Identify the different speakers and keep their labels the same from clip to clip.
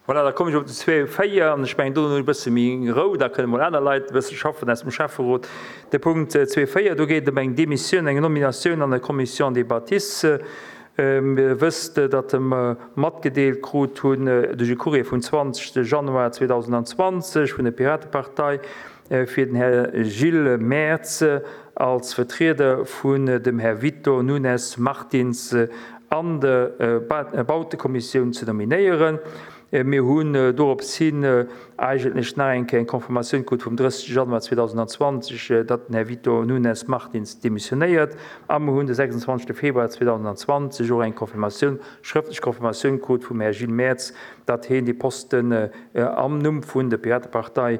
Speaker 1: Voilà, da kommen ech op den 2,4 an ech mengen, do hunn ech e bësse méi Rou, da kënne mol aner Leit e bësse schaffen aus dem Schäfferot. De Punkt 2,4, do geet et ëm eng Demissioun, eng Nominatioun an der Commission des bâtisses. Dir wësst, datt mer matgedeelt krut hunn duerch e Courrier vum 20 Januar 2020 vun der Piratepartei, fir den Här Gilles Mertz als Vertrieder vun dem Här Vito Nunes Martins an der Bautekommissioun ze nominéieren. Mir hunn dorops hin eigentlech nach eng Kéier eng Confirmatioun krut vum 30 Januar 2020, datt den Här Vito Nunes Martins demissionéiert. A mir hunn de 26 Februar 2020 och eng Confirmatioun, schrëftlech Confirmatioun krut vum Här Gilles Mertz, datt heen dee Posten am Numm vun der Piratepartei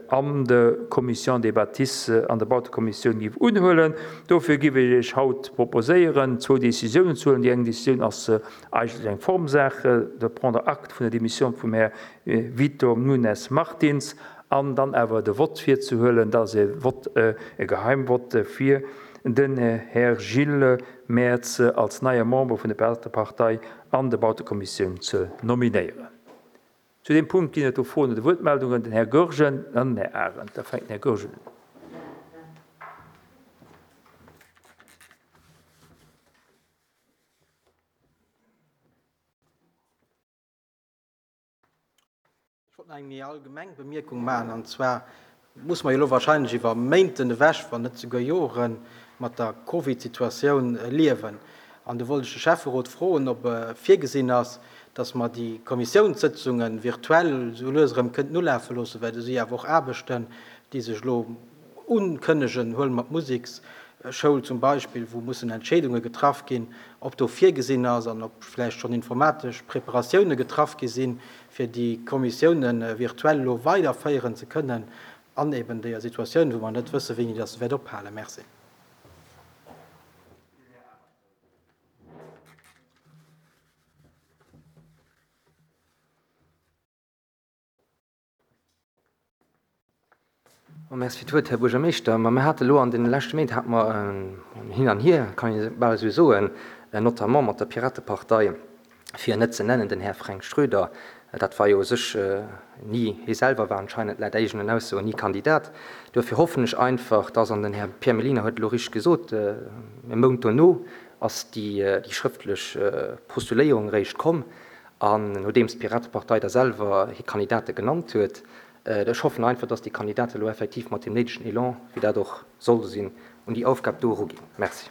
Speaker 1: an der Commission des bâtisses, an der Bautekommissioun géif unhuelen. Dofir géif ech Iech haut proposéieren, zwou Décisiounen ze huelen. Déi eng Décisioun ass eigentlech eng Formsaach, de prendre acte vun der Démission vum Här Vito Nunes Martins an dann awer de Vott virzehuelen, dat ass e Vott, e Geheimvott, fir den Här Gilles Mertz als neie Member vun der Piratepartei an der Bautekommissioun ze nominéieren. Zu deem Punkt ginn et do Froen oder Wuertmeldungen. Den Här Goergen, dann den Här Arendt. Da fänkt den Här Goergen un.
Speaker 2: Ech wollt nach eng méi allgemeng Bemierkung maachen, an zwar musse mer jo elo wahrscheinlech iwwer Méinten ewech, wann net souguer Joren, mat der Covid-Situatioun liewen. An do wollt ech de Schäfferot froen, ob virgesinn ass, dass mer déi Kommissiounssëtzunge virtuell esou lues erëm kënnten ulafe loossen, well do si awer och Aarbechten, déi sech elo unkënnegen. Huele mer d'Museksschoul zum Beispill, wou mussen Entscheedunge getraff ginn, ob do virgesinn ass an ob vläicht schonn informatesch Preparatioune getraff gi sinn, fir déi Kommissioune virtuell elo weiderféieren ze kënnen an eben deeër Situatioun, wou mer net wëssen, wéini dass se wäert ophalen. Merci.
Speaker 3: Merci fir d'Wuert, Här Buergermeeschter. Ma mir hate elo an deene leschte Méint hate mer en Hin an Hier, kann ee bal esou soen, notamment mat der Piratepartei, fir en net ze nennen, den Här Fränk Schröder. Dat war jo u sech ni, hie selwer war anscheinend laut eegenen Aussoen ni Kandidat. Duerfir hoffen ech einfach, dass, an den Här Pierre Mellina huet elo richteg gesot, e Mount dono ass déi schrëftlech Postuléierung eréischt komm, an nodeems d'Piratepartei da selwer hir Kandidate genannt huet, Ech hoffen einfach, dass déi Kandidaten elo effektiv mat deem néidegen Elan, wéi dat och soll sinn, un déi Aufgab do eruginn. Merci.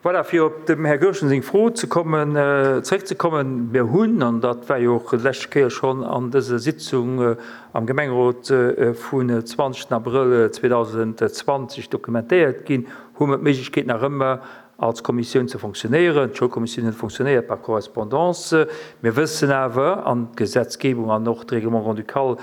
Speaker 1: Voilà, fir op dem Här Goergen seng Fro ze kommen, zréckzekommen, Mir hunn, an dat war jo och déi leschte Kéier schonn an dëser Sitzung am Gemengerot vun 20 Abrëll 2020 dokumentéiert ginn, hu mer d'Méiglechkeet nach ëmmer als Kommissioun ze fonctionnéieren. D'Schoulkommissioun huet fonctionnéiert par correspondance. Mir wëssen awer, an d'Gesetzgebung an och de Règlement grand-ducal,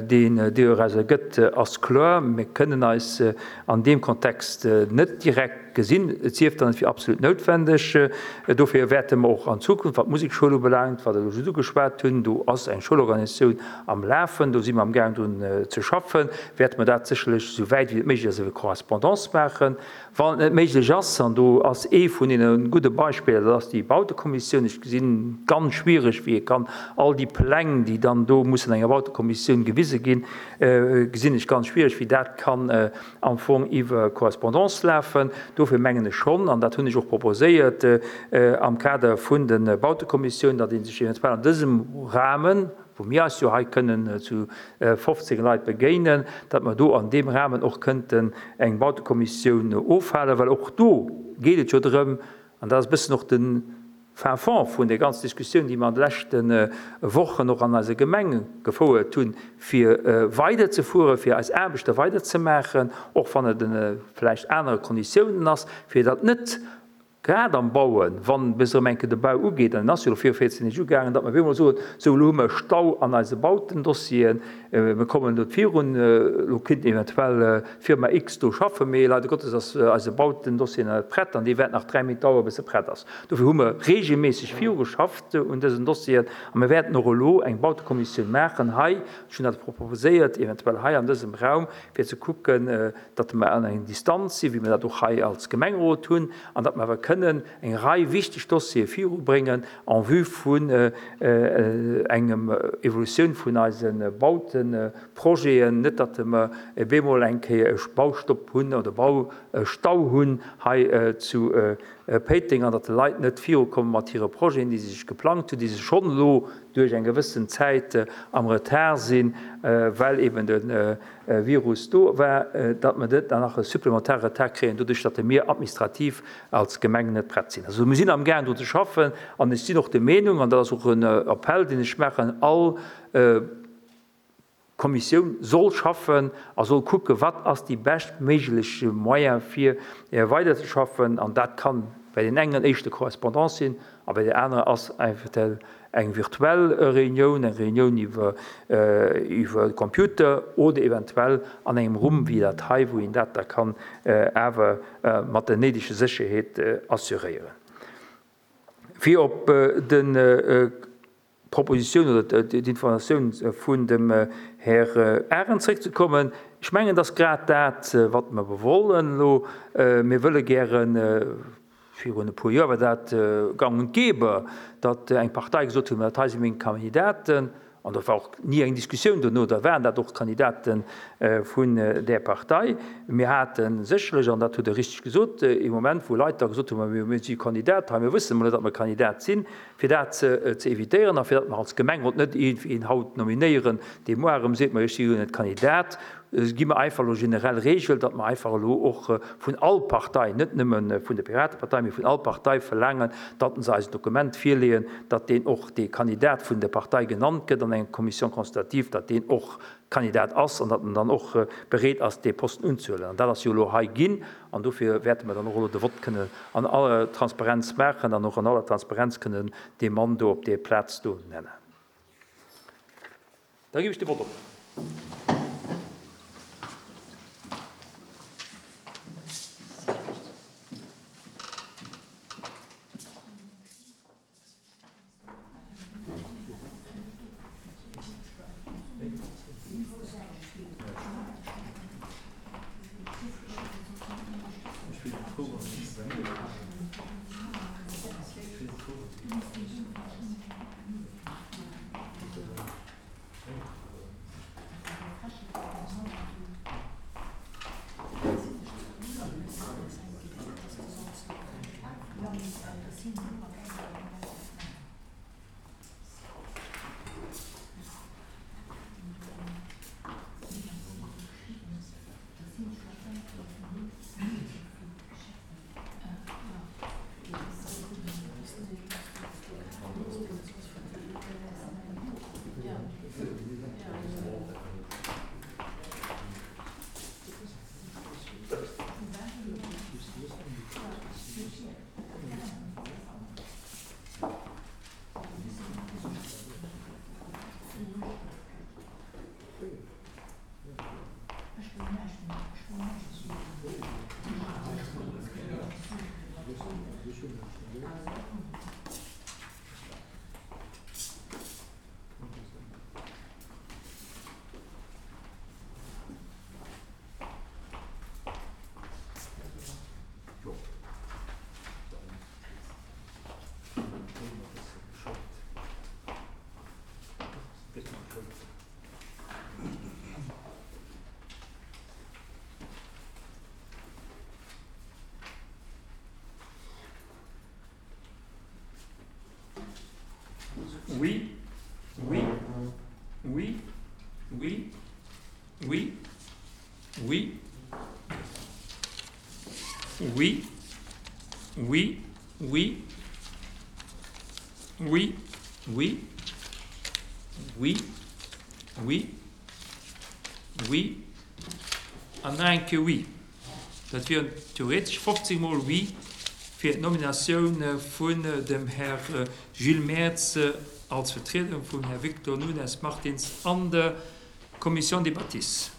Speaker 1: deen doraus ergëtt, ass kloer, mir kënnen eis an deem Kontext net direkt gesinn, et sief dann, et wier absolut noutwendeg. Dofir wäerte mer och an Zukunft, wat d'Musekschoul ubelaangt, wat ech elo just ugeschwat hunn, do ass eng Schoulorganisatioun am Lafen, do si mer amgaang drun ze schaffen, wäerte mer dat sécherlech, esou wäit wéi et méiglech ass, iwwer Correspondance maachen. Wann et net méiglech ass, an do ass ee vun deene gudde Beispiller, dat ass déi Bautekommissioun. Ech gesinn ganz schwierig, wéi ee kann all déi Pläng, déi dann do mussen enger Bautekommissioun gewise ginn, gesinn ech ganz schwierig, wéi dat kann am Fong iwwer Correspondance lafen. Dofir mengen ech schonn, an dat hunn ech och proposéiert am Kader vun de Bautekommissioun, datt ee sech eventuell an dësem Rahmen, wou mir eis jo hei kënnen zu 15 Leit begéinen, datt mer do an deem Rahmen och kënnten eng Bautekommissioun ofhalen, well och do geet et jo drëm, an dat ass e bëssen och de Fin fond vun där ganzen Diskussioun, déi mer an de leschte Wochen och an eiser Gemeng gefouert hunn, fir weiderzefueren, fir eis Aarbechte weiderzemaachen, och wann et ënner vläicht anere Konditiounen ass, fir datt net. Grad am Bauen, wann bis erëm eng Kéier de Bau ugeet, an en ass jo elo viru 14 Deeg ugaangen, datt mer op eemol soen, sou elo hu mer Stau an eise Bautendossieren, mir kommen net virun, elo kéint eventuell d'Firma X do schaffen, mee leider Gottes ass eise Bautendossier nach net prett an dee wäert nach 3 Méint daueren, bis e prett ass. Dofir hu mer reegelméisseg virugeschafft un dësen Dossieren a mir wäerten och elo eng Bautekommissioun maachen hei, ech hunn dat proposéiert, eventuell hei an dësem Raum, fir ze kucken, datt mer an eng Distanz sinn, wéi mer dat och hei als Gemengerot hunn, an datt mer awer kënnen eng Rei wichteg Dossiere virubréngen en vue vun engem Evolutioun vun eise Bauteprojeten, net datt mer bemol eng Kéier e Baustopp hunn oder Baustau hunn hei zu Péiteng an datt d'Leit net virukomme mat hire Projeten, déi se sech geplangt hunn, déi se schonn elo duerch eng gewëssen Zäit am Retard sinn, well eben de Virus do war, datt mer net nach e supplementare Retard kréien, doduerch datt mir administrativ als Gemeng net prett sinn. Also mir sinn amgaang drun ze schaffen an ech sinn och der Meenung, an dat ass och en Appell deen ech maachen, all Kommissioun soll schaffen a soll kucken, wat ass déi beschtméiglech Moyen fir weiderzeschaffen an dat kann bei deenen engen éischter Correspondance sinn a bei deenen anere ass eventuell eng virtuell Reunioun, eng Reunioun iwwer iwwer de Computer oder eventuell an engem Rumm wéi dat hei, wou een dat da kann awer mat der néidege Sécherheet assuréieren. Fir op de d'Propositioun oder d'Informatioun vun dem Här Arendt zréckzekommen, ech mengen, et ass grad dat, wat mer wollen elo. Mir wëlle gären, virun e puer Joer war dat gang und gäbe, datt eng Partei gesot huet, dat hei si meng Kandidaten, an dat war och ni eng Diskussioun dono, da waren dat och Kandidate vun där Partei. Mir hate sécherlech, an dat hutt Der richteg gesot, ee Moment, wou Leit da gesot hunn, ma mir si Kandidat hei, mir wëssen emol net, datt mer Kandidat sinn. Fir dat ze evitéieren a fir datt mer als Gemengerot net iergendwéi een haut nominéieren, dee muar erëm seet, ma ech si jo net Kandidat, gi mer einfach elo generell Regel, datt mer einfach elo och vun all Partei, net nëmme vun der Piratepartei, mee vun all Partei verlaangen, datt se eis en Dokument virleeën, datt deen och dee Kandidat vun der Partei genannt gëtt an enger Commission consultative, datt deen och Kandidat ass an datt en dann och bereet ass, dee Posten unzehuelen. An dat ass jo elo hei ginn. An dofir wäerte mer dann och elo de Vott kënnen an aller Transparenz maachen an och an aller Transparenz kënnen dee Mann do op déi Plaz do nennen. Da ginn ech de Vott op. Oui, oui, oui, oui, oui, oui, oui, oui, oui, oui, oui, oui, oui, oui an nach eng Kéier oui. Dat wieren theoretesch 15 mol oui. fir d'Nominatioun vun dem Här Gilles Mertz als Vertriedung vum Här Victor Nunes Martins an der Commission des bâtisses.